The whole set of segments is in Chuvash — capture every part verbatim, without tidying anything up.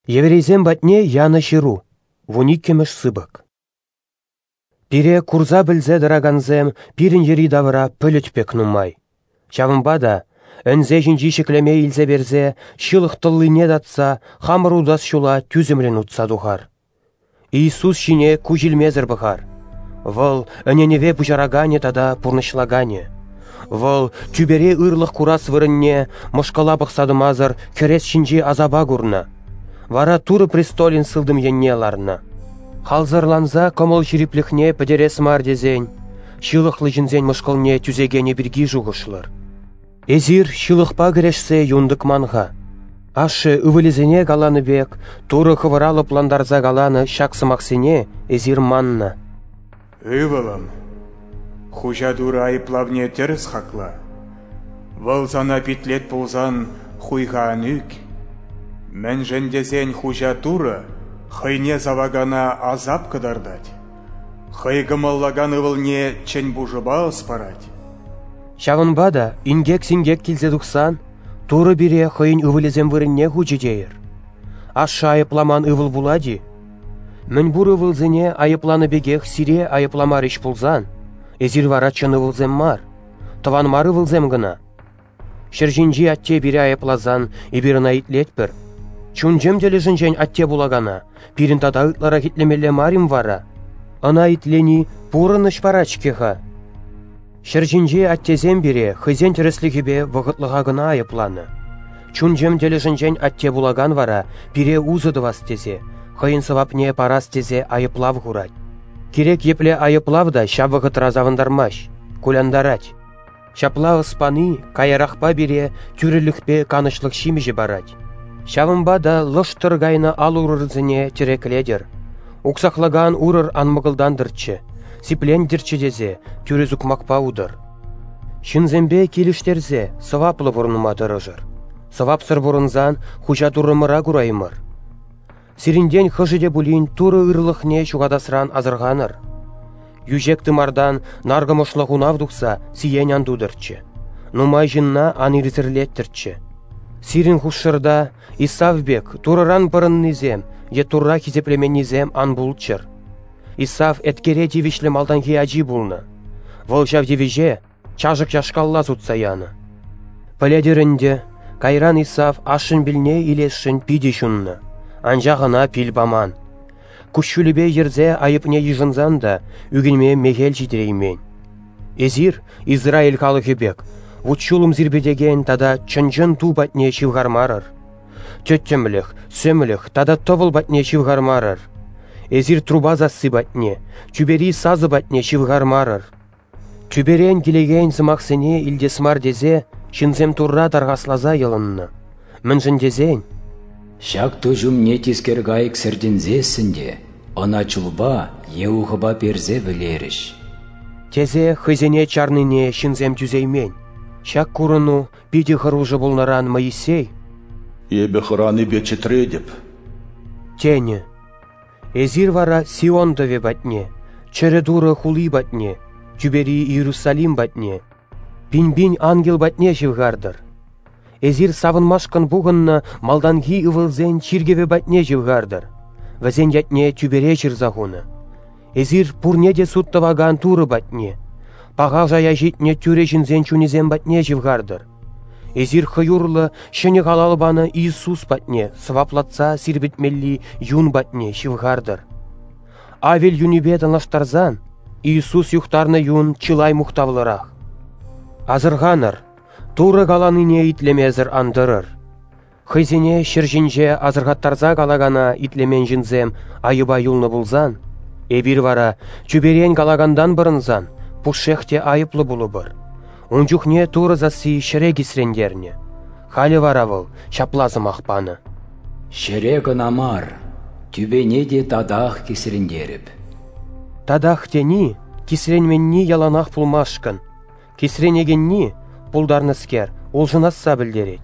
Еврейсем патне янӑ ҫыру, вун иккӗмӗш сыпӑк. Пире курса-пӗлсе тӑракансем пирӗн йӗри-тавра пӗлӗт пек нумай. Ҫавӑнпа та ӗнсе ҫинчи ҫӗклеме илсе персе ҫылӑх тӑллине татса хамӑр утас ҫула тӳсӗмлӗн утса тухар. Иисус ҫине куҫ илмесӗр пӑхар. Вӑл ӗненӗве пуҫараканӗ тата пурнӑҫлаканӗ. Вӑл тӳпере ырлӑх курас вырӑнне мӑшкӑла пӑхса тӑмасӑр хӗрес ҫинчи асапа курнӑ. Вара Турӑ престолӗн сылтӑм енне ларнӑ. Халсӑрланса кӑмӑл ҫирӗплӗхне пӗтерес мар тесен, ҫылӑхлӑ ҫынсен мӑшкӑлне тӳсекенӗ пирки шухӑшлӑр. Эсир ҫылӑхпа кӗрешсе юн тӑкман-ха. Ашшӗ ывӑлӗсене каланӑ пек Турӑ хӑвӑра лӑплантарса каланӑ ҫак сӑмахсене эсир маннӑ. Ывӑлӑм, Хуҫа Турӑ айӑплавне тӗрӗс хакла. Вӑл сана питлет пулсан хуйха ан ӳк. Мӗншӗн тесен Хуҫа Турӑ хӑйне савакана асап кӑтартать. Хӑй кӑмӑллакан ывӑлне чӗн пушӑпа ӑс парать. Ҫавӑнпа та инкек-синкек килсе тухсан Турӑ пире хӑйӗн ывӑлӗсем вырӑнне хучӗ тейӗр. Ашшӗ айӑпламан ывӑл пулать-и? Мӗн пур ывӑлсене айӑпланӑ пекех сире айӑпламарӗҫ пулсан, эсир вара чӑн ывӑлсем мар, тӑван мар ывӑлсем кӑна. Ҫӗр ҫинчи атте пире айӑпласан эпир ӑна итлетпӗр. Чун-чӗм тӗлӗшӗнчен атте пулакана пирӗн тата ытларах итлемелле мар-им вара? Ӑна итлени пурӑнӑҫ парать-ҫке-ха. Ҫӗр ҫинчи аттесем пире хӑйсен тӗрӗслӗхӗпе вӑхӑтлӑха кӑна айӑпланӑ. Чун-чӗм тӗлӗшӗнчен атте пулакан вара пире усӑ тӑвас тесе, хӑйӗн сӑвапне парас тесе айӑплав хурать. Кирек епле айӑплав та ҫав вӑхӑтра савӑнтармасть, кулянтарать. Ҫапла ӑс пани каярахпа пире тӳрӗлӗхпе канӑҫлӑх ҫимӗҫӗ парать. Ҫавӑнпа та лӑштӑр кайнӑ ал-урӑрсене тӗреклетӗр. Уксахлакан урӑр ан мӑкӑлтантӑрччӗ, сиплентӗрччӗ тесе тӳрӗ сукмакпа утӑр. Ҫынсемпе килӗштерсе сӑваплӑ пурӑнма тӑрӑшӑр. Сӑвапсӑр пурӑнсан Хуҫа Туррӑмӑра кураймӑр. Сирӗнтен хӑшӗ те пулин Турӑ ырлӑхне ҫухатасран асӑрханӑр. Йӳҫек тымартан наркӑмӑшлӑ хунав тухса сиен ан тутӑрччӗ. Нумай ҫынна ан ирсӗрлеттӗрччӗ. Сирӗн хушшӑрта Исав пек Турӑран пӑрӑннисем е Турра хисеплеменнисем ан пулччӑр. Исав еткере тивӗҫлӗ малтанхи ачи пулнӑ. Вӑл ҫав тивӗҫе чашӑк яшкалла сутса янӑ. Пӗлетӗр ӗнтӗ, кайран Исав ашшӗн пилне илесшӗн питӗ ҫуннӑ, анчах ӑна пил паман. Куҫҫулӗпе йӗрсе айӑпне йышӑнсан та ӳкӗнме мехел ҫитереймен. Эсир, Израиль халӑхӗ пек, вут-ҫулӑм сирпӗтекен тата чӑн-чӑн ту патне ҫывхармарӑр. Тӗттӗмлӗх, сӗмлӗх тата тӑвӑл патне ҫывхармарӑр. Эсир труба сасси патне, тӳпери сасӑ патне ҫывхармарӑр. Тӳперен килекен сӑмахсене илтес мар тесе ҫынсем Турра тархасласа йӑлӑннӑ. Мӗншӗн тесен Ҫак ту ҫумне тискер кайӑк сӗртӗнсессӗн те ӑна чулпа е ухӑпа персе вӗлерӗҫ. Тесе хӑйсене чарнине ҫынсем тӳсеймен. Ҫак курӑну питӗ хӑрушӑ пулнӑран Моисей Эпӗ хӑранипе чӗтретӗп. Тенӗ. Эсир вара Сион тӑвӗ патне, чӗрӗ Турӑ хули патне, тӳпери Иерусалим патне, пин-пин ангел патне ҫывхартӑр. Эсир савӑнмашкӑн пухӑннӑ малтанхи ывӑлсен чиркӗвӗ патне ҫывхартӑр. Вӗсен ятне тӳпере ҫырса хунӑ. Эсир пурне те суд тӑвакан Турӑ патне, паха шая ҫитнӗ тӳрӗ ҫынсен чунӗсем патне ҫывхартӑр. Эсир хӑй урлӑ ҫӗнӗ халал панӑ Иисус патне сӑваплатса сирпӗтмелли юн патне ҫывхартӑр. Авель юнӗпе танлаштарсан Иисус юхтарнӑ юн чылай мухтавлӑрах. Асӑрханӑр, Турӑ каланине итлемесӗр ан тӑрӑр. Хӑйсене ҫӗр ҫинче асӑрхаттарса калакана итлемен ҫынсем айӑпа юлнӑ пулсан, эпир вара тӳперен калакантан пӑрӑнсан пушшех те айӑплӑ пулӑпӑр. Ун чухне Турӑ сасси ҫӗре кисрентернӗ. Халӗ вара вӑл ҫапла сӑмах панӑ. Ҫӗре кӑна мар, тӳпене те татах кисрентерӗп. Татах тени кисренменни яланах пулмашкӑн, кисренекенни, пултарнӑскер, улшӑнасса пӗлтерет.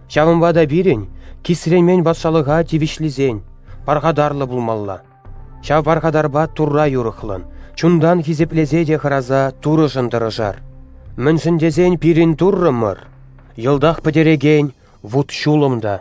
Ҫавӑнпа та пирӗн кисренмен патшалӑха тивӗҫлисен пархатарлӑ пулмалла. Ҫав пархатарпа Турра юрӑхлӑн, чунтан хисеплесе те хӑраса Турӑшӑн тӑрӑшар. Мӗншӗн тесен пирӗн Туррӑмӑр йӑлтах пӗтерекен вут-ҫулӑм та.